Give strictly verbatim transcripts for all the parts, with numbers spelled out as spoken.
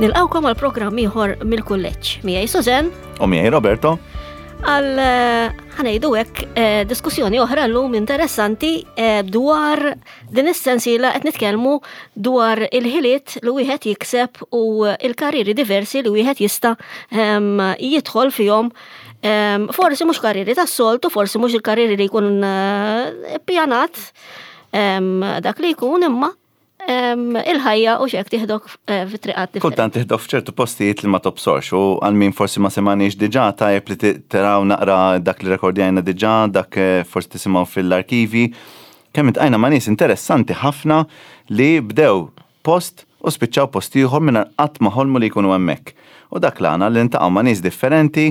Nilqgħukom għal programm ieħor mill-kulleġġ. Miegħi Susan. U miegħi Roberto. Għal eh, ħa ngħidu hekk eh, diskussjoni oħra llum interessanti eh, dwar din is-sensiela qed nitkellmu dwar il-ħiliet li wieħed jikseb u il-karriri diversi li wieħed jista' ehm, jidħol fihom. Ehm, forsi mhux karriri tas-soltu, forsi mhux il-karriri li jkun pjanat ehm, dak li jkun, imma il-ħajja u xek tieħdok eh, fit-triqat differenti. Kultant tieħdok f'ċertu postijiet li ma tobsorx, u għal min forsi ma semaniex diġà, tajjeb li taraw naqra dak li rekordjajna diġà, dak eh, forsi tisimgħu fil-arkivi. Kemm iltqajna ma' nies interessanti ħafna li bdew post u spiċċaw post ieħor minn qatt ma ħolmu li jkunu hemmhekk. U dak l-għana, li niltaqgħu ma' nies differenti,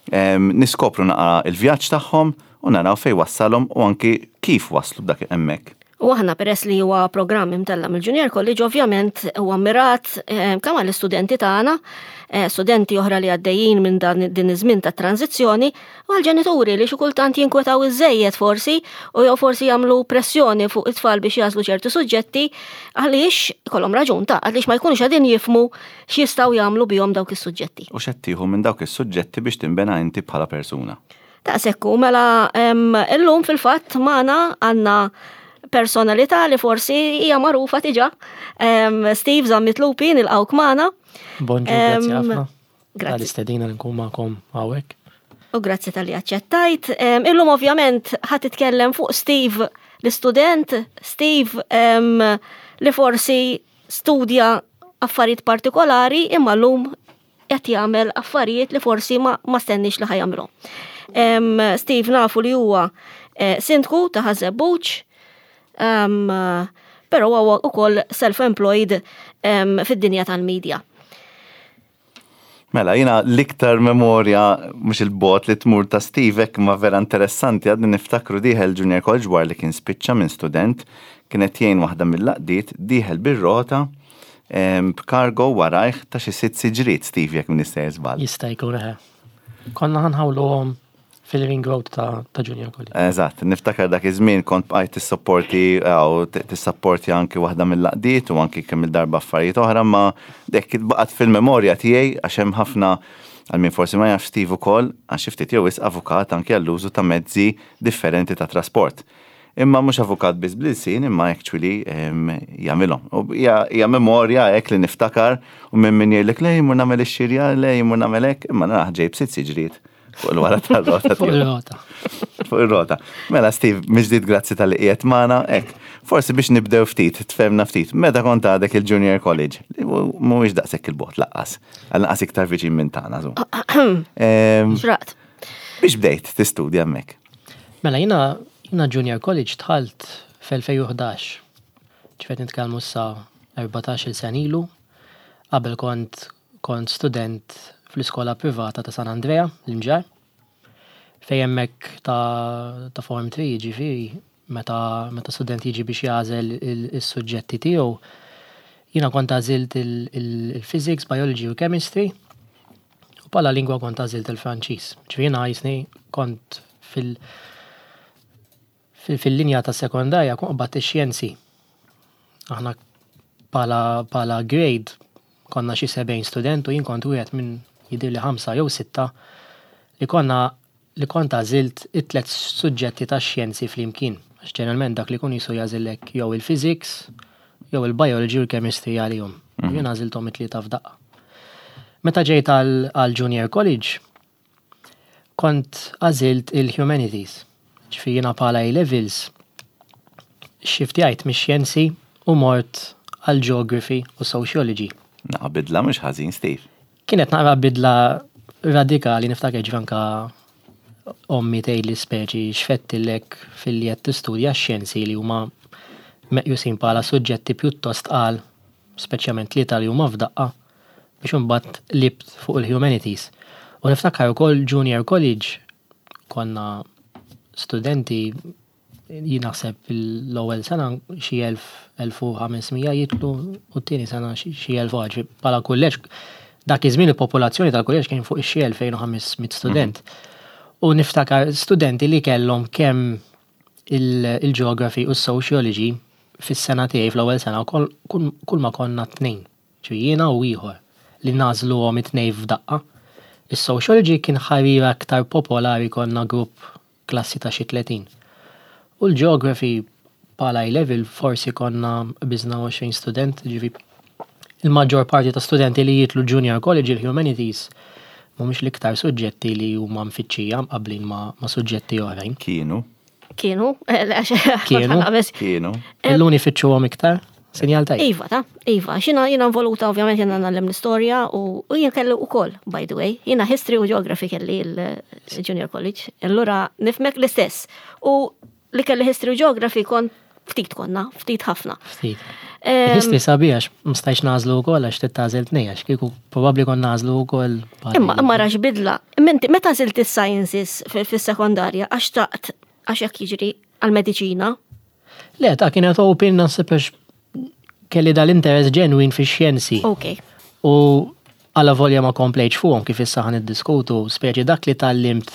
niskopru naqra il-vjaġġ tagħhom u naraw fejn wassalhom u anki kif waslu b'dak hemmhekk. U aħna, peress li huwa programm imtella mill-Junior College, ovvjament huwa mirat eh, kemm għall-istudenti tagħna, eh, studenti oħra li għaddejjin minn dan din iż-żmien ta' tranzizzjoni, u għall-ġenituri li xi kultant jinkwetaw iżejjed forsi u jew forsi jagħmlu pressjoni fuq it-tfal biex jagħżlu ċerti suġġetti, għaliex ikollhom raġun ta' għaliex ma jkunux qegħdin jifhmu x'jistgħu jagħmlu bihom dawk is-suġġetti. U x'qed tieħu minn dawk is-suġġetti biex tinbena inti bħala persuna. Ta' sekku, mela illum fil-fatt magħna għandna personalità li forsi hija magħrufa diġà. Steve Zammit Lupi, nilqgħuk magħna. Bonġu, grazzi ħafna. Grazzi. Tal-istedina li nkun magħkom hawnhekk. U grazzi talli aċċettajt. Illum ovvjament ħa titkellem fuq Steve l-istudent, Steve li forsi studja affarijiet partikolari imma llum qed jagħmel affarijiet li forsi ma, ma stenniex li ħa jagħmilhom. Steve nafu li huwa eh, sindku ta' Ħaż-Żebbuġ, um, pero huwa ukoll self-employed um, fid-dinja tal-medja. Mela, jiena l-iktar memorja mhux il-bogħod li tmur ta' Steve ma vera interessanti, għadni niftakru dieħel Junior College wara li kien spiċċa minn student, kienet jgħin waħda mill-għaqdiet, dieħel bir-rota b'kargo warajh ta' xi sitt siġriet, Steve, jekk m'iniex sejjer żball. Jista' jkun, eħe. Konna ħa nħawluhom fil-ring road ta', ta Junior College. Eżatt, niftakar dak iż-żmien kont bqajt tissapporti jew tissapporti anki waħda mill-għaqdiet u anki kemm il-darba affarijiet oħra, ma dik baqgħet fil-memorja tiegħi għax hemm ħafna, għal min forsi ma jafx, Steve ukoll għax xi ftit jew wisq avukat anki għall-użu ta' mezzi differenti ta' trasport. Imma mhux avukat biss bl-ilsien, imma actually jagħmilhom. U hija memorja hekk li niftakar u minn min jgħidlek le jmur nagħmel ix-xirja, le jmur nagħmel hekk, imma naraħ ġejb sitt siġriet fuq il-wara tal-rota. Fuq il-rota. Fuq il-rota. Mela Steve, mill-ġdid grazzi talli qiegħed magħna, hekk. Forsi biex nibdew ftit, tfehmna ftit, meta kont għadek il-Junior College, li mhuwiex daqshekk il-bogħod lanqas, għal naqas iktar viċin minn tagħna żgur. Xraqt. Biex bdejt tistudja hemmhekk? Mela jiena jiena Junior College dħalt fl-elfejn u ħdax. Ġifieri nitkellmu sa erbatax-il sena ilu. Qabel kont kont student fl-iskola privata ta' San Andrea, l-Imġarr. Fejn hemmhekk ta', ta' Form tlieta, ġifieri meta, meta student jiġi biex jagħżel il-suġġetti tiegħu, jiena kont għażilt il-physics, biology u chemistry, u bħala lingwa kont għażilt il-Franċiż. Ġifieri jiena jisni kont fil- fil-linja ta' sekondarja kont qbadt ix-xjenzi. Aħna bħala, bħala grade konna xi sebgħin student u jien kont wieħed minn jidhirli ħamsa jew sitta li konna li kont għażilt it-tlet suġġetti ta' xjenzi flimkien. Għax ġeneralment dak li kun jisu jagħżillek jew il-physics, jew il-biology u l-chemistry għalihom. Mhm. Jien għażilthom it-tlieta f'daqqa. Meta ġejt għal Junior College, kont għażilt il-humanities. Ġifieri jiena bħala A-levels, shiftjajt mix-xjenzi u mort għal geography u sociology. Naqra bidla mhux ħażin, Steve. Kienet naqra bidla radikali, niftakar ġvanka ommi tgħidli speċi x'fettillek fil-li qed tistudja x-xjenzi li huma meqjusin bħala suġġetti pjuttost tqal, speċjalment tlieta li huma f'daqqa, biex imbagħad qlibt fuq il-humanities. U niftakar ukoll Junior College konna studenti, jien naħseb l-ewwel sena xi elf, elf u ħames mija jidħlu u t-tieni sena xi elf u bħala kulleġġ dak iż-żmien il-popolazzjoni tal-kulleġġ kien fuq ix-xi elfejn u ħames mitt student. U niftakar studenti li kellhom kemm il-geography u s-sociology fis-sena tiegħi fl-ewwel sena kull ma konna tnejn. Ġi jiena u ieħor. li nagħżluhom it-tnejn f'daqqa. Is-sociology kien ħarira aktar popolari, konna grupp klassi ta' xi tletin. U l-geography bħala level forsi konna biżna għoxrin student, ġifi il-maġġor parti ta' studenti li jitilgħu junior college, il-humanities mhumiex l-iktar suġġetti li huma mfittxija mqablin ma', ma' suġġetti oħrajn. Kienu. Kienu. Eh, Kienu. Kienu. Illum ifittxuhom iktar, sinjal tajjeb. Iva, ta' iva, xina jina involuta ovvjament, jina ngħallem l-istorja u u jien kelli u koll, by the way, jina history u geography kelli il-junior college. Allura nifhmek l-istess. U li kelli history u geography kont ftit konna, ftit ħafna. Ftit. Em, History sabiħ għax ma stajtx nagħżlu wkoll, għax tagħżel tnejn, għax kieku probabbli kon nagħżlu wkoll. Imma imma rax bidla. Minti, meta għażilt is-sciences fis-sekondarja, għax taqt għax jekk jiġri għal-mediċina? Le, ta' kienet open, naħseb għax kelli dal-interess ġenwin fi xjenzi. Ok. U għala volja ma komplejtx fuqhom, kif issa ħan iddiskutu, speċi dak li tgħallimt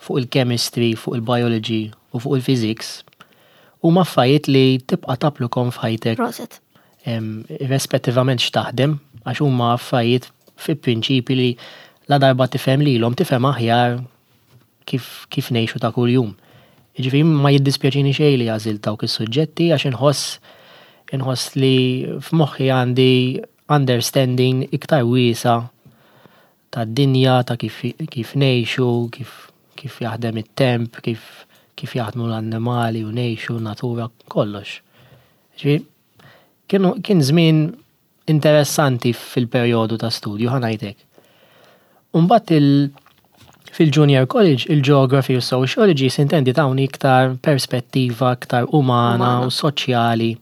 fuq il-chemistry, fuq il-biology u fuq il-physics, huma affarijiet li tibqa' tapplikahom f'ħajtek Prosit. em, irrispettivament x'taħdem, għax huma affarijiet fi prinċipi li la darba tifhem lilhom, tifhem aħjar kif, kif ngħixu ta' kuljum. Ġifieri ma jiddispjaċini xejn li għażilt dawk is-suġġetti, għax inħoss inħoss li f'moħħi għandi understanding iktar wiesa tad-dinja, ta' kif, kif ngħixu, kif, kif jaħdem it-temp, kif, kif jaħdmu l-annimali u ngħixu, natura, kollox. Ġifieri, kienu, kien żmien interessanti fil-perjodu ta' studju, ħa ngħidlek. Umbagħad il, fil-junior college, il-geography u sociology s'intendi tawni iktar perspettiva, iktar umana Umana. u soċjali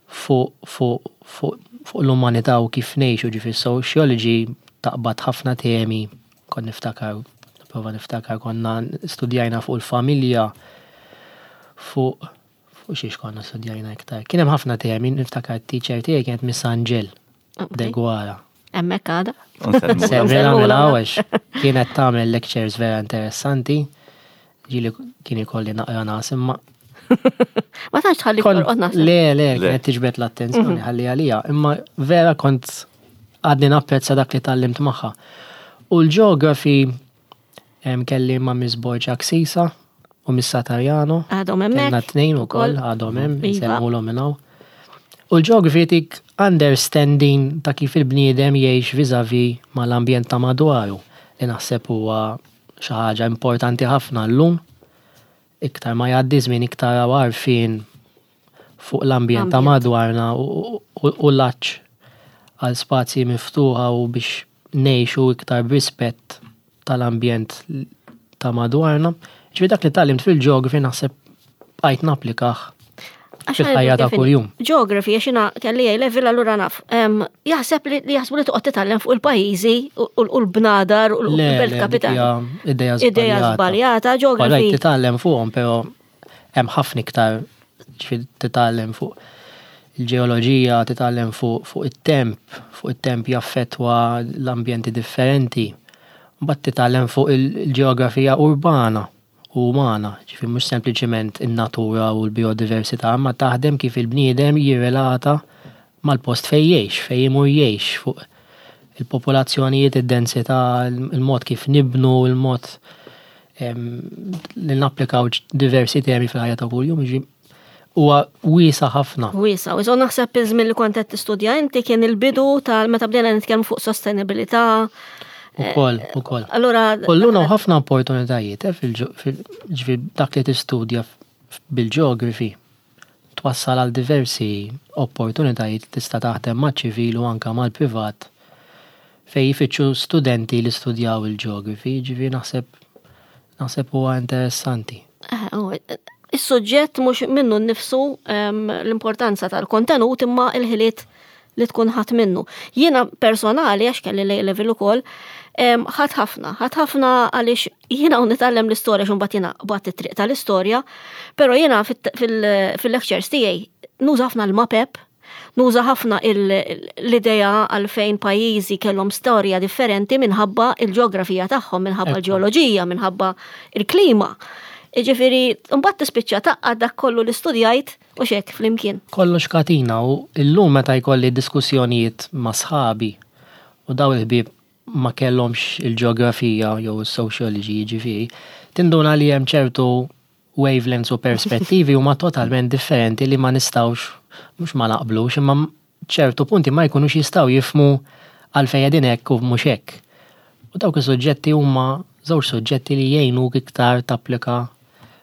fuq fuq fuq fuq l-umanità u kif ngħixu. Ġifi sociology taqbad ħafna temi, kon niftakar, prova niftakar, konna studjajna fuq il-familja, fuq fuq xiex konna studjajna iktar. Kien hemm ħafna temi, niftakar teacher tiegħi kienet Miss Angel Ok. Deguara. Hemmhekk għada. Nsellmu. Semmela Nsellmula. mela għax kienet tagħmel lectures vera interessanti. Ġieli kien ikolli naqra nas, imma Ma tantx tħalli kont torqod, naħseb. Le, le, Le. kienet tiġbed l-attenzjoni ħalli għalija, imma vera kont għadni napprezza dak li tgħallimt magħha. U l-geography em, kelli ma' Miss Borġa Ksisa u Miss Satarjano. Għadhom hemmhekk. Kellna tnejn ukoll ukoll. għadhom hemm, Iva. insellmulhom minn hawn. U l-geography tik understanding ta' kif il-bniedem jgħix vis-a-vis mal-ambjent ta' madwaru, li naħseb huwa xi ħaġa importanti ħafna llum. Iktar ma jgħaddi żmien, iktar għarfien fuq l-ambjent ta' Ambjent. madwarna u, u, u l-għatx għal spazji miftuħa u biex ngħixu iktar b'rispett tal-ambjent ta' madwarna. Ġifieri dak li tgħallimt fil-geography naħseb bqajt napplikah Għax fil-ħajja ta' kif inhi. kuljum. Geography, għax jiena kelli A level, allura naf. Em, Jaħseb li li jaħsbu li toqgħod titgħallem fuq il-pajjiżi u u l-bnadar u Le, l-belt le, dik kapitali. hija ideja Ideja żbaljata. żbaljata, Alright, geography. titgħallem fuqhom, però hemm ħafna iktar, ġifieri titgħallem fuq il-ġeoloġija, titgħallem fuq fuq it-temp, fuq it-temp jaffettwa l-ambjenti differenti. Mbagħad titgħallem fuq il-ġeografija urbana u umana, ġifieri mhux sempliċement in-natura u l-biodiversità, ma taħdem kif il-bniedem jirrelata mal-post fejn jgħix, fejn imur jgħix, fuq il-popolazzjonijiet, id-densità, il-mod kif nibnu, il-mod em, li napplikaw diversi temi fil-ħajja ta' kuljum, ġi huwa wiesa ħafna. Wiesa, u naħseb iż-żmien li kont qed tistudja inti kien il-bidu tal meta bdejna nitkellmu fuq sostenibilità. Ukoll, ukoll. Allura Kolluna u ħafna opportunitajiet eh, fil- fil- ġifieri dak li tistudja f- bil-geography twassal għal diversi opportunitajiet, tista' taħdem maċ-ċivil u anka mal-privat fejn jfittxu studenti li studjaw il-geography, ġifieri naħseb naħseb huwa interessanti. Eh, oh, Is-suġġett mhux minnu nnifsu em, l-importanza tal-kontenut, imma il-ħiliet li tkun ħadd minnu. Jiena personali, għax kelli l level ukoll, em, ħadd ħafna, ħadd ħafna għaliex jiena u nitgħallem l-istorja, x'mbagħad jiena qbadt it-triq tal-istorja, però jiena fit- fil- fil-lectures tiegħi nuża ħafna l-mapep, nuża ħafna il- l-idea għalfejn pajjiżi kellhom storja differenti minħabba il-ġeografija tagħhom, minħabba Ekku. l-ġeoloġija, minħabba il-klima. Iġifieri, mbagħad tispiċċa tgħaqqad dak kollu li studjajt u xek flimkien. Kollox katina, u illum meta jkolli diskussjonijiet ma' sħabi u daw il-ħbieb ma kellhomx il-ġeografija jew il-sociology, ġifieri, tinduna li hemm ċertu wavelengths u perspettivi huma totalment differenti li ma nistgħux, mhux ma naqblux, imma ċertu punti ma jkunux jistgħu jifhmu għalfejn qegħdin hekk u mhux hekk. U dawk is-suġġetti huma żewġ suġġetti li jgħinuk iktar tapplika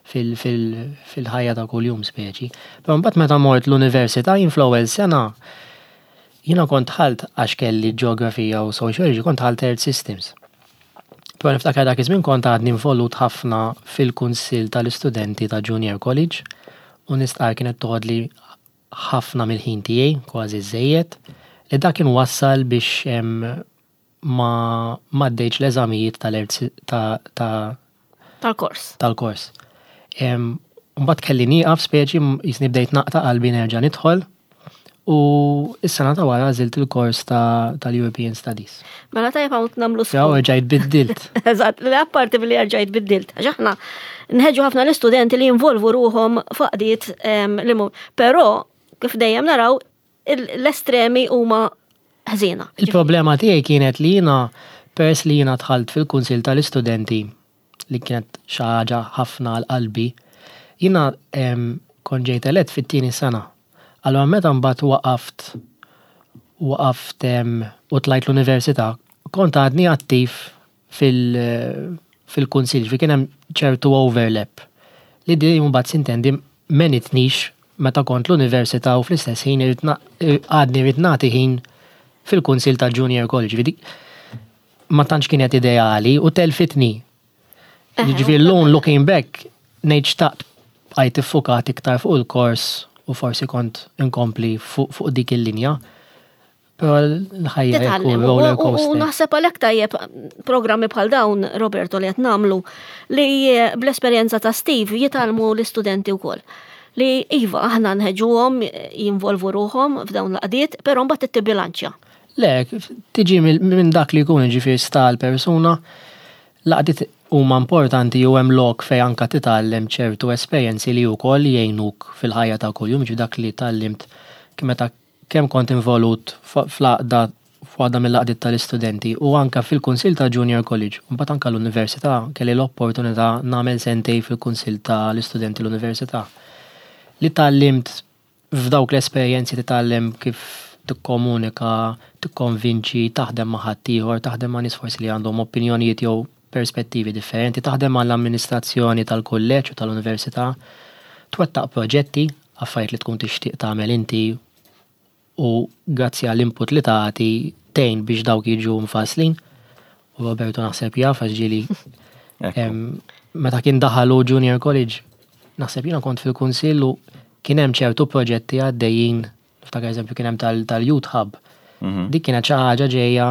fil-ħajja ta' kuljum speċi. Però mbagħad meta mort l-università, jien fl-ewwel sena jiena kont dħalt għax kelli ġeografija u sociology, kont dħalt Earth Systems. Però niftakar dak iż-żmien kont għadni involut ħafna fil-kunsill tal-istudenti ta' Junior College u nistqar kienet toħodli ħafna mill-ħin tiegħi, kważi żejjed, li dak kien wassal biex ma m'għaddejtx l-eżamijiet tal ta' tal-kors. Tal-kors. Mbagħad kelli nieqaf speċi, jisni bdejt naqta' qalbi nerġa' nidħol u is-sena ta' wara għażilt il-kors tal-European Studies. Mela tajjeb hawn nagħmlu Jaw rġajt biddilt. Eżatt, li apparti billi rġajt biddilt. Għax aħna nħeġġu ħafna l-istudenti li jinvolvu ruħhom f'għaqdiet li però kif dejjem naraw, l-estremi huma ħżiena. Il-problema tiegħi kienet li jiena, peress li jiena dħalt fil-kunsil tal-istudenti, li kienet xi ħaġa ħafna għal qalbi, jiena kont ġejt elett fit-tieni sena. Allora meta mbagħad waqaft waqaft u tlajt l-università, kont għadni attiv fil-kunsil, fi kien hemm ċertu overlap. Li di mbagħad sintendi m'għenitnix meta kont l-università u fl-istess ħin għadni rrid nagħti ħin fil-kunsil ta' Junior College. Ma tantx kienet ideali u telfitni. Ġifieri llum, looking back, ngħid xtaqt bqajt iffukat iktar fuq il-kors u forsi kont inkompli fuq dik il-linja. Però l-ħajja roller coaster. U naħseb għalhekk tajjeb programmi bħal dawn, Roberto, li qed nagħmlu, li bl-esperjenza ta' Steve jitgħallmu l-istudenti wkoll. Li iva, aħna nħeġġuhom jinvolvu ruħhom f'dawn l-għaqdiet, però mbagħad tibbilanċja. Le, tiġi minn dak li jkun, ġifieri sta l-persuna, l-għaqdiet huma importanti u hemm lok fejn anka titgħallem ċertu esperjenzi li wkoll jgħinuk fil-ħajja ta' kuljum, ġi dak li tgħallimt meta kemm kont involut fl-għaqda, f'waħda mill-għaqdiet tal-istudenti u anka fil-Kunsil ta' Junior College. Mbagħad anka l-università kelli l-opportunità nagħmel sentej fil-Kunsil tal-istudenti l-università. Li tgħallimt f'dawk l-esperjenzi, titgħallem kif tikkomunika, tikkonvinċi, taħdem ma' ħaddieħor, taħdem ma' nies forsi li għandhom opinjonijiet jew perspettivi differenti, taħdem mal amministrazzjoni tal-kulleġġ u tal-università, twettaq proġetti, affarijiet li tkun tixtieq tagħmel inti u grazzi għall-input li tagħti tgħin biex dawk jiġu mfasslin. U Roberto naħseb jaf għax ġieli meta kien daħalu Junior College, naħseb jiena kont fil-kunsill u kien hemm ċertu proġetti għaddejjin, niftakar eżempju kien hemm tal-Youth Hub. Mhm. Dik kienet xi ħaġa ġejja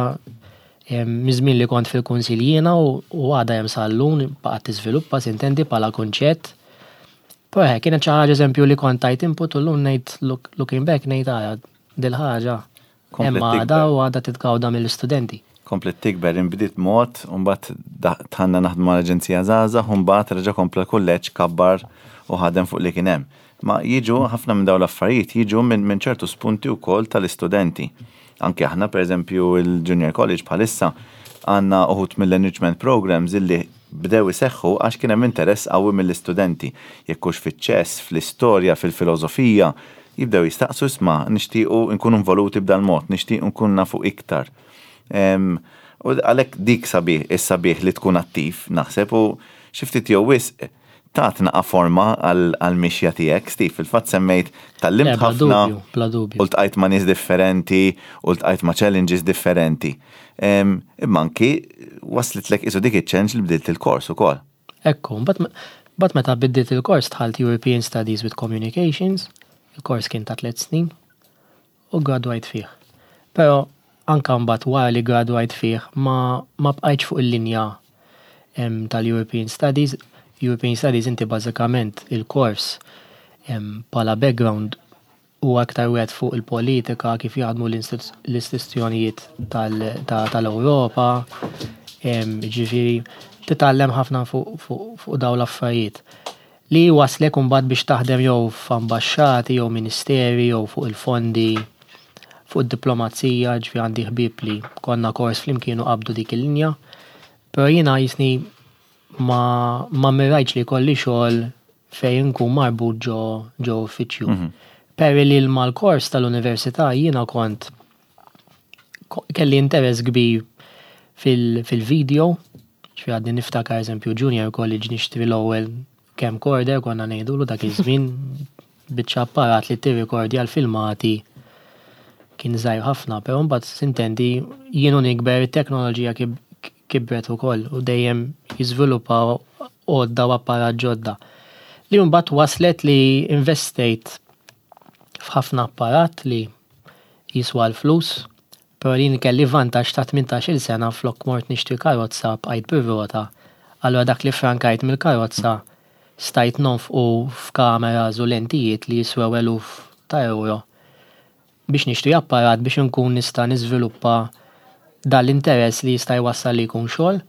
miż-żmien li kont fil-kunsill jiena u għadha hemm sal-lum, baqgħet tiżviluppa sintendi bħala kunċett. Però kienet xi ħaġa eżempju li kont tajt input u llum ngħid, looking back, ngħid għara dil-ħaġa hemm għadha u għadha titgawda mill-istudenti. Komplet tikber, inbdiet mod, u mbagħad dħalna naħdmu mal-Aġenzija Żgħażagħ, u mbagħad reġa' kompla kulleġġ, kabbar u ħadem fuq li kien hemm. Ma jiġu ħafna minn dawn l-affarijiet jiġu minn ċertu spunti wkoll tal-istudenti. Anke aħna, per eżempju, il-Junior College bħalissa għandna uħud mill-enrichment programs illi bdew iseħħu għax kien hemm interess qawwi mill-istudenti. Jekk hux fiċ-ċess, fl-istorja, fil-filosofija, jibdew jistaqsu, "Isma', nixtiequ nkunu involuti b'dal mod, nixtiequ nkun nafu iktar." U għalhekk dik sabiħ, is-sabiħ li tkun attiv, naħseb, u xi ftit jew wisq tat naqa forma għal-mixja tiegħek, Steve, fil-fatt semmejt tgħallimt ħafna u ltqajt ma' nies differenti u ltqajt ma' challenges differenti. Imma anki waslitlek isu dik iċ-challenge li bdilt il-kors ukoll. Ekku, but meta biddilt il-kors dħalt European Studies with Communications, il-kors kien ta' tliet snin u gradwajt fih. Pero anka mbagħad wara li gradwajt fih ma ma bqajtx fuq il-linja tal-European Studies. European Studies inti bażikament il-kors bħala background u aktar wieħed fuq il-politika, kif jaħdmu l-istituzzjonijiet tal-Ewropa, ġifieri titgħallem ħafna fuq dawn l-affarijiet. Li waslek mbagħad biex taħdem jew f'ambaxxati jew ministeri jew fuq il-fondi Fuq id-diplomazija, ġifieri għandi ħbieb li konna kors flimkien u qabdu dik il-linja. Però jiena jisni ma, ma mirajtx li kelli xogħol fejn nkun marbut ġo, ġo uffiċċju. Mm -hmm. Peress li mal-kors tal-università jiena kont kelli interess kbir fil-video, ġifieri għadni niftakar, eżempju, junior college nixtri l-ewwel camcorder, konna ngħidulu dak iż-żmien, biċċa apparat li tirrikordja l-filmati, kien żgħir ħafna, però mbagħad, s'intendi, jien u nikber, it-teknoloġija kibret ukoll u dejjem jiżviluppaw għodda u apparat ġodda. Li mbagħad waslet li investejt f'ħafna apparat li jiswa l-flus, però li kelli vantaġġ ta' tmintax-il sena, flok mort nixtri karozza bqajt bir-rota. Allura dak li frankajt mill-karozza stajt nonfqu f'kameras u lentijiet li jiswew eluf ta' euro biex nixtri apparat biex nkun nista' niżviluppa dal-interess li jista' jwassal li jkun xogħol.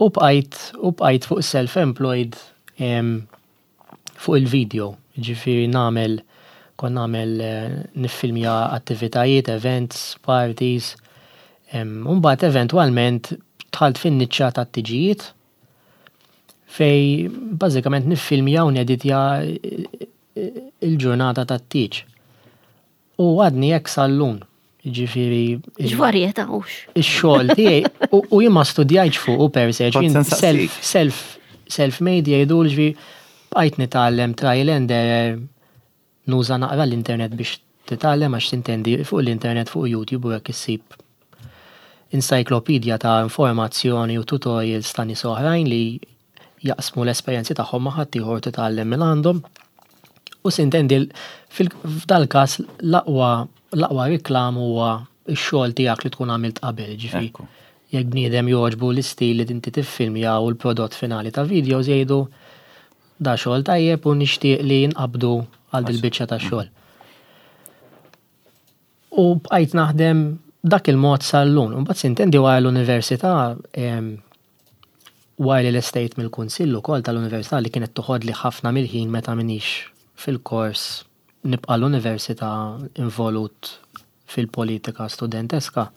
U bqajt u bqajt fuq self-employed fuq il-video. Ġifieri nagħmel kon nagħmel eh, niffilmja attivitajiet, events, parties. Mbagħad eventwalment dħalt fin-niċċa tat-tiġijiet fejn bażikament niffilmja u neditja il-ġurnata tat-tieġ. U għadni hekk sal-lum. Ġifieri. X'varjetà hux. Ix-xogħol tiegħi u jien ma studjajtx fuq u per se, self self self-made jgħidu, ġifieri bqajt nitgħallem trial and error, nuża naqra l-internet biex titgħallem, għax, tintendi, fuq l-internet, fuq YouTube u hekk, issib encyclopedia ta' informazzjoni u tutorials ta' nies oħrajn li jaqsmu l-esperjenzi tagħhom ma' ħaddieħor, titgħallem minn għandhom. U, s'intendi, f'dal każ l-aqwa l-aqwa reklam huwa x-xogħol tiegħek li tkun għamilt qabel, ġifieri. Jekk bniedem jogħġbu l-istil li inti tiffilmja u l-prodott finali ta' videos, jgħidu da xogħol tajjeb u nixtieq li nqabdu għal dil-biċċa ta' xogħol. U bqajt naħdem dak il-mod sal-lum. Mbagħad, s'intendi, wara l-università, wara li lestejt mill-kunsill ukoll tal-università li kienet toħodli ħafna mill-ħin, meta minix fil-kors nibqa' l-università involut fil-politika studenteska.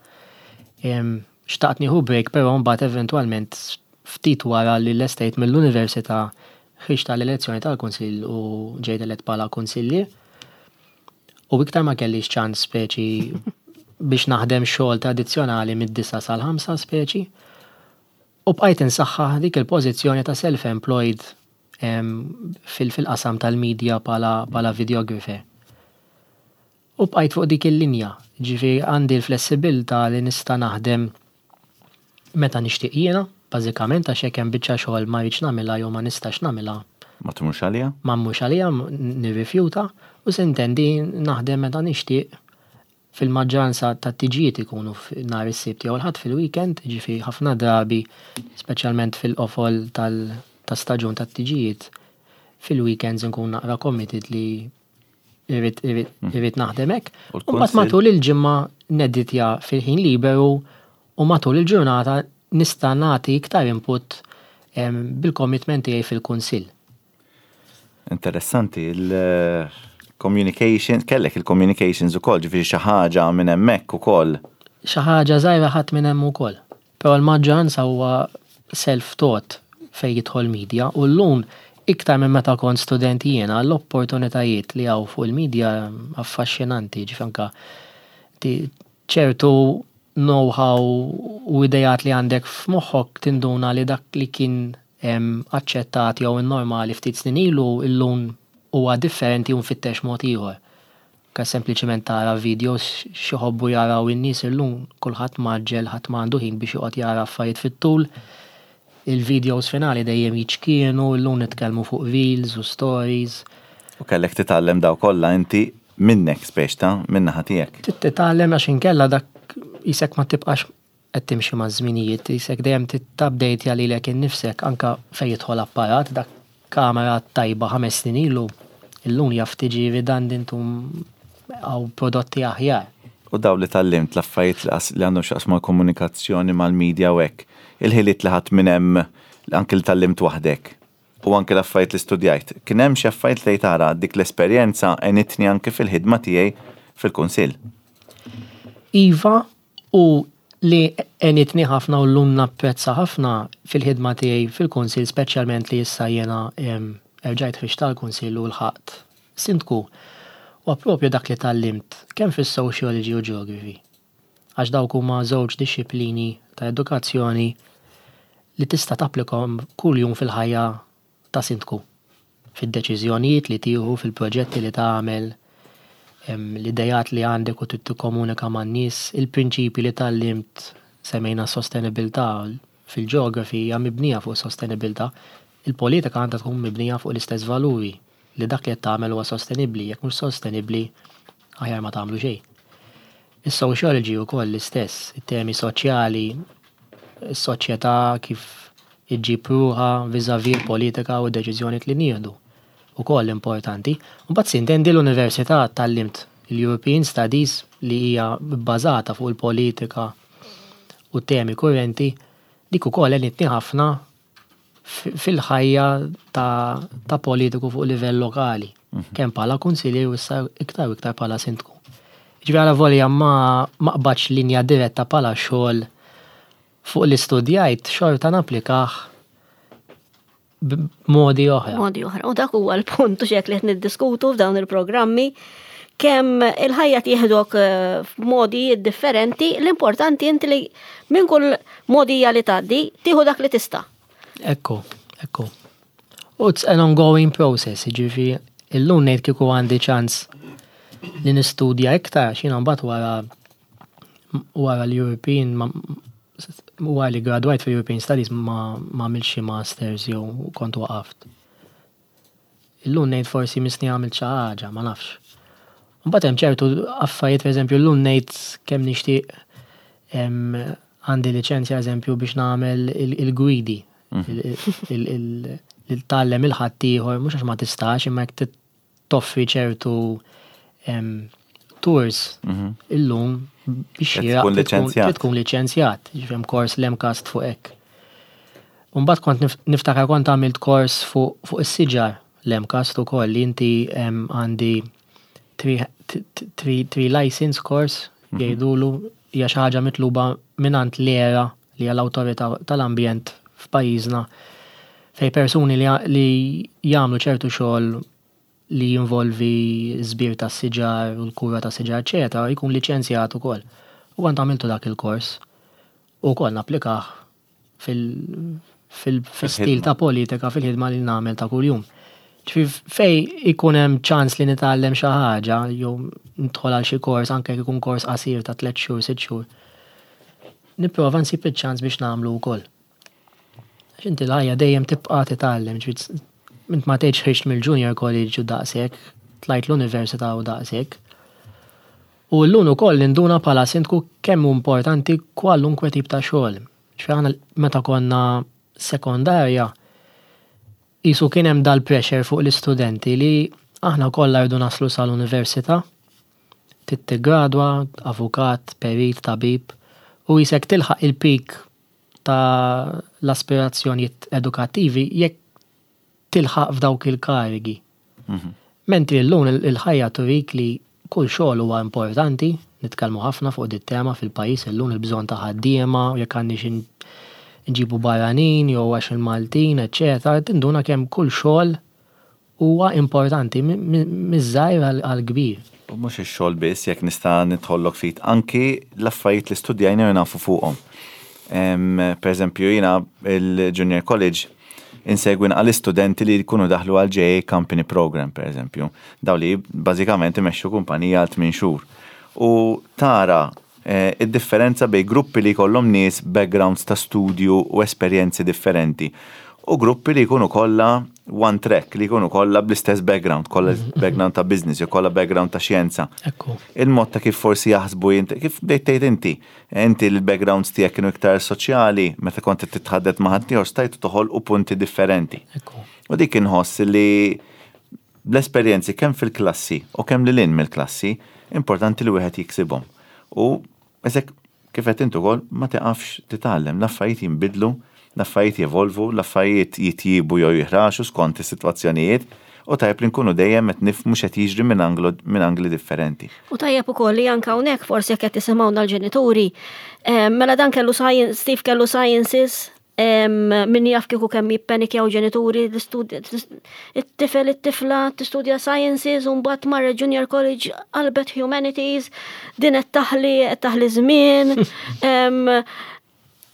Xtaqt nieħu break, però mbagħad eventwalment ftit wara li lestejt mill-università ħriġt tal-elezzjoni tal-kunsill u ġejt elett bħala kunsillier. U iktar ma kellix ċans speċi biex naħdem xogħol tradizzjonali mid-disgħa sal-ħamsa speċi. U bqajt insaħħaħ dik il-pożizzjoni ta' self-employed fil-qasam tal-media bħala videographer. U bqajt fuq dik il-linja, ġifieri għandi l-flessibilità li nista' naħdem meta nixtieq jiena, bażikament, għax jekk hemm biċċa xogħol ma rridx nagħmilha jew ma nistax nagħmilha. Ma tmurx għalija? Ma mmurx għalija, nirrifjuta u, s'intendi, naħdem meta nixtieq. Fil-maġġoranza ta' tiġijiet ikunu nhar is-Sibt jew l-Ħadd fil-weekend, ġifieri ħafna drabi, speċjalment fil-qofol tal- ta' staġun ta' tiġijiet, fil-weekends nkun naqra committed li irrid irrid naħdem hekk. U mbagħad matul il-ġimgħa neditja fil-ħin liberu u matul il-ġurnata nista' nagħti iktar input bil-commitment tiegħi fil-kunsill. Interessanti, il-communication, kellek il-communications ukoll, ġifieri xi ħaġa minn hemmhekk ukoll. Xi ħaġa żgħira ħadd minn hemm ukoll. Però l-maġġoranza huwa self-taught fej jidħol media u llum iktar minn meta kont student jiena, l-opportunitajiet li hawn fuq il-media affaxxinanti, ġifieri anka ċertu know-how u idejat li għandek f'moħħok, tinduna li dak li kien aċċettat jew normali ftit snin ilu illum huwa differenti u nfittex mod ieħor. Ka sempliċement tara videos x'iħobbu jaraw in-nies illum, kulħadd mgħaġġel, ħadd m'għandu ħin biex joqgħod jara affarijiet fit-tul. Il-videos finali dejjem jiċkienu, illum nitkellmu fuq reels u stories. U kellek titgħallem daw kollha inti minnek speċ ta' minna tiegħek. Titgħallem, għax inkella dak jisek ma tibqax qed timxi ma' żminijiet, jisek dejjem titupdate lilek innifsek anka fejn jidħol apparat, dak kamera tajba ħames snin ilu, illum jaf tiġi redundant u hawn prodotti aħjar. U daw li tgħallimt, l-affarijiet li għandhom x'jaqsmu mal-komunikazzjoni, mal-media u hekk, il-ħiliet li ħadt minn hemm, anke li tgħallimt waħdek u anke l-affarijiet li studjajt, kien hemm xi affarijiet li tara dik l-esperjenza għenitni anke fil-ħidma tiegħi fil-kunsill? Iva, u li għenitni ħafna u llum napprezza ħafna fil-ħidma tiegħi fil-kunsil, speċjalment li issa jiena erġajt ħriġt tal-kunsil u lħaqt sindku, u propju dak li tgħallimt kemm fis-sociology u geography. Għax dawk huma żewġ dixxiplini ta' edukazzjoni li tista' tapplikhom kuljum fil-ħajja ta' sindku. Fid-deċiżjonijiet li tieħu, fil-proġetti li tagħmel, l-idejat li għandek u tikkomunika man-nies, il-prinċipi li tgħallimt, semmejna sostenibilità fil-geography hija mibnija fuq sostenibilità, il-politika għandha tkun mibnija fuq l-istess valuri, li dak li qed tagħmel huwa sostenibbli, jekk mhux sostenibbli aħjar ma tagħmlu xejn. Is-sociology wkoll l-istess, it-temi soċjali, is-soċjetà kif iġġib ruħha vis-à-vis l-politika u d-deċiżjonijiet li nieħdu. Ukoll importanti. Mbagħad sintendi l-università tgħallimt il-European Studies li hija bbażata fuq il-politika u temi kurrenti, dik ukoll għenitni ħafna fil-ħajja ta', ta' politiku fuq livell lokali, kemm bħala kunsillier u issa iktar u iktar bħala sindku. Ġifieri għalavolja ma ma qbadx linja diretta bħala xogħol fuq li studjajt, xorta napplikah b'modi oħra. Modi oħra. U dak huwa l-punt u xek li qed niddiskutu f'dawn il-programmi, kemm il-ħajja tieħdok eh, f'modi differenti, l-importanti inti li minn kull modija li tgħaddi tieħu dak li tista'. Ekku, ekku. U it's an ongoing process, ġifieri illum ngħid kieku għandi ċans li nistudja iktar, xina mbagħad wara wara l-European ma- wara li gradwajt fil European Studies ma ma għamilx xi masters jew kont waqaft. Illum ngħid forsi missni għamilt xi ħaġa, ma nafx. Mbagħad hemm ċertu affarijiet, pereżempju llum ngħid kemm nixtieq em, għandi liċenzja eżempju biex nagħmel il- il-gwidi. Il tgħallem il-ħaddieħor, mhux għax ma tistax, imma jekk toffri ċertu em, tours illum biex Trid xieraq tkun trid tkun- liċenzjat. trid tkun liċenzjat, ġifieri hemm kors l-MCAST fuq hekk. Mbagħad kont nif- niftakar kont għamilt kors fuq fuq is-siġar l-MCAST ukoll li inti em, għandi tree tree tree license course jgħidulu, hija xi ħaġa mitluba mingħand l-ERA li hija l-awtorità tal-ambjent f'pajjiżna, fej persuni li, li jagħmlu ċertu xogħol li jinvolvi żbir ta' siġar u l-kura ta' siġar, eċetera, jkun liċenzjat ukoll. U kont għamiltu dak il-kors u wkoll napplikah fil- fil- fil-stil ta' politika, fil-ħidma li nagħmel ta' kuljum. Ġifieri fej ikun hemm ċans li nitgħallem xi ħaġa jew nidħol għal xi kors, anke jekk ikun kors qasir ta' tliet xhur, sitt xhur. Nipprova nsib iċ-ċans biex nagħmlu wkoll. Għax inti l-ħajja dejjem tibqa' titgħallem, ġifieri int ma tgħidx ħriġt mill-junior college u daqshekk, tlajt l-università u daqshekk. U llum ukoll ninduna bħala sindku kemm hu importanti kwalunkwe tip ta' xogħol. Ġifieri aħna meta konna sekondarja, jisu kien hemm dal-pressure fuq l-istudenti li aħna kollha rridu naslu sal-università, tigradwa, avukat, perit, tabib, u jisek tilħaq il-peak ta' l-aspirazzjonijiet edukattivi jekk tilħaq f'dawk il-karigi. Mentri llum il- il-ħajja turik li kull xogħol huwa importanti, nitkellmu ħafna fuq dit tema fil-pajjiż illum, il-bżonn ta' ħaddiema, u jekk għandniex in- nġibu barranin jew għax il-Maltin, eċetera, tinduna kemm kull xogħol huwa importanti mi- mi- miż-żgħir għal- għall-kbir. U mhux ix-xogħol biss, jekk nista' nidħollok ftit, anki l-affarijiet li studjajna u nafu fuqhom. Em, Per eżempju, jiena il-Junior College insegwi għal istudenti li jkunu daħlu għal J A Company Program, per eżempju. Daw li bażikament imexxu kumpanija għal tmien xhur. U tara eh, id-differenza bej gruppi li jkollhom nies backgrounds ta' studju u esperjenzi differenti u gruppi li jkunu kollha one track, li jkunu kollha bl-istess background, kollha background ta' business, jew kollha background ta' xjenza. Ekku. Il-mod ta' kif forsi jaħsbu jint, kif bdejt tgħid inti, inti l-backgrounds tiegħek kienu iktar soċjali, meta kont qed titħaddet ma' ħaddieħor stajtu toħolqu punti differenti. Ekku. U dik inħoss li l-esperjenzi kemm fil-klassi u kemm lil hinn mill-klassi importanti li wieħed jiksibhom. U eżek kif qed intu ukoll, ma tiqafx titgħallem, l-affarijiet jinbidlu, l-affarijiet jevolvu, l-affarijiet jitjibu jew jiħraxu skont is-sitwazzjonijiet U tajjeb li nkunu dejjem qed nifhmu x'qed jiġri minn anglo minn angli differenti. U tajjeb ukoll li anke hawnhekk forsi jekk qed tisimgħuna l-ġenituri, eh, mela dan kellu science, Steve kellu sciences, em, min jaf kieku kemm jippenikjaw ġenituri l-istudja, it-tifel it-tifla tistudja sciences u mbagħad marret junior college qalbet humanities, din qed taħli qed taħli żmien. Em,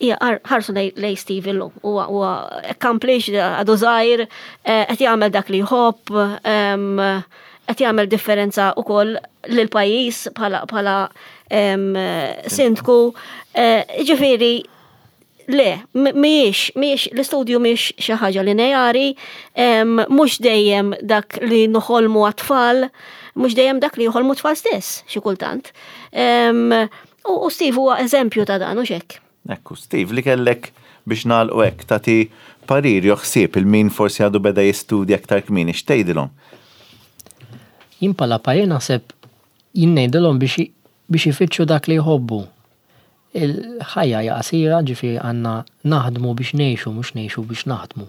Ija, ħarsu lej, lej Steve illum, huwa huwa accomplished, għadu żgħir, eh, qed jagħmel dak li jħobb, em, qed jagħmel differenza wkoll lil pajjiż bħala bħala em, sindku. Eh, Ġifieri, le, m- mhijiex, mhijiex, l-istudju mhijiex xi ħaġa lineari, em, mhux dejjem dak li noħolmu għat-tfal, mhux dejjem dak li joħolmu tfal stess, xi kultant. Em, U u Steve huwa eżempju ta' dan, u xek. Ekku, Steve, li kellek biex nagħlqu hekk tagħti parir jew ħsieb lil min forsi għadu beda jistudja aktar kmieni, x'tgħidilhom? Jien bħala parir naħseb jien ngħidilhom biex biex ifittxu dak li jħobbu. Il-ħajja hija qasira, ġifieri għandna naħdmu biex ngħixu, mhux ngħixu biex naħdmu.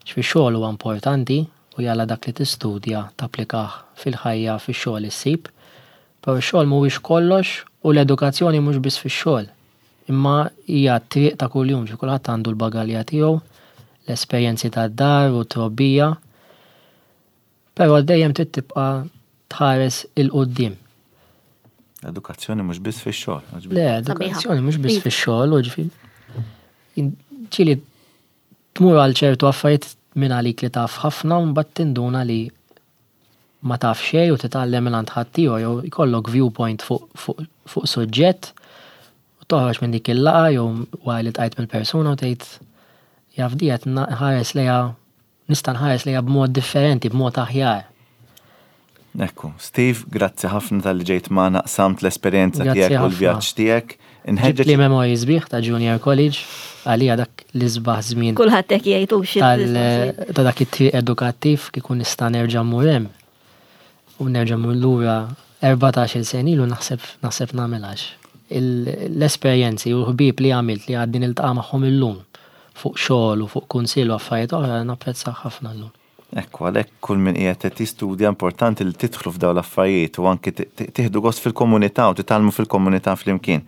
Ġifieri xogħol huwa importanti u jalla dak li tistudja tapplikah fil-ħajja fix-xogħol issib. Però x-xogħol mhuwiex kollox u l-edukazzjoni mhux biss fix-xogħol. Imma hija triq ta' kuljum, ġi kulħadd għandu l-bagalja tiegħu, l-esperjenzi tad-dar u trobbija. Però dejjem trid tibqa' tħares 'il quddiem. Edukazzjoni mhux biss fix-xogħol. Le, edukazzjoni mhux biss fix-xogħol, u ġifieri ġieli tmur għal ċertu affarijiet minn għalik li taf ħafna u mbagħad tinduna li ma taf xejn u titgħallem minn għand ħaddieħor jew jkollok viewpoint fuq fuq fuq suġġett u toħroġ minn dik il-laqgħa jew wara li ltqajt mill-persuna u tgħid jaf di qed nħares lejha nista' nħares lejha b'mod differenti, b'mod aħjar. Ekku, Steve, grazzi ħafna talli ġejt magħna qsamt l-esperjenza Grazzi tiegħek u ħafna. l-vjaġġ tiegħek. Inħeġġeġ Ġibt li memorji sbieħ ta' Junior College, għalija dak l-isbaħ żmien Kulħadd hekk jgħidu xi tal ta' dak it-triq edukattiv kieku nista' nerġa' mmur hemm. U nerġa' mmur lura erbatax-il sena ilu naħseb naħseb nagħmilhax. L-esperjenzi u l-ħbieb li għamilt li għadni niltaqa' magħhom illum fuq xogħol u fuq kunsill u affarijiet oħra napprezza ħafna llum. Ekku, għalhekk kull min qiegħed qed jistudja importanti li tidħlu f'dawn l-affarijiet u anki tieħdu gost fil-komunità u titgħallmu fil-komunità flimkien.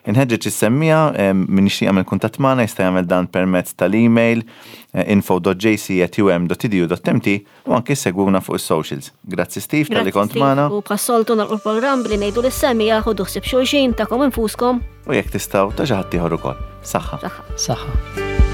Inħeġġeġ is-semmiegħa min jixtieq jagħmel kuntatt magħna jista' jagħmel dan permezz tal-email info dot J C at U M dot edu dot M T u anki segwuna fuq is-socials. Grazzi Steve talli kont magħna. U bħas-soltu nagħlqu l-programm billi ngħidu lis-semmiegħa ħudu ħsieb xulxin tagħkom infuskom. U jekk tistgħu ta' xi ħadd ieħor ukoll. Saħħa. Saħħa. Saħħa.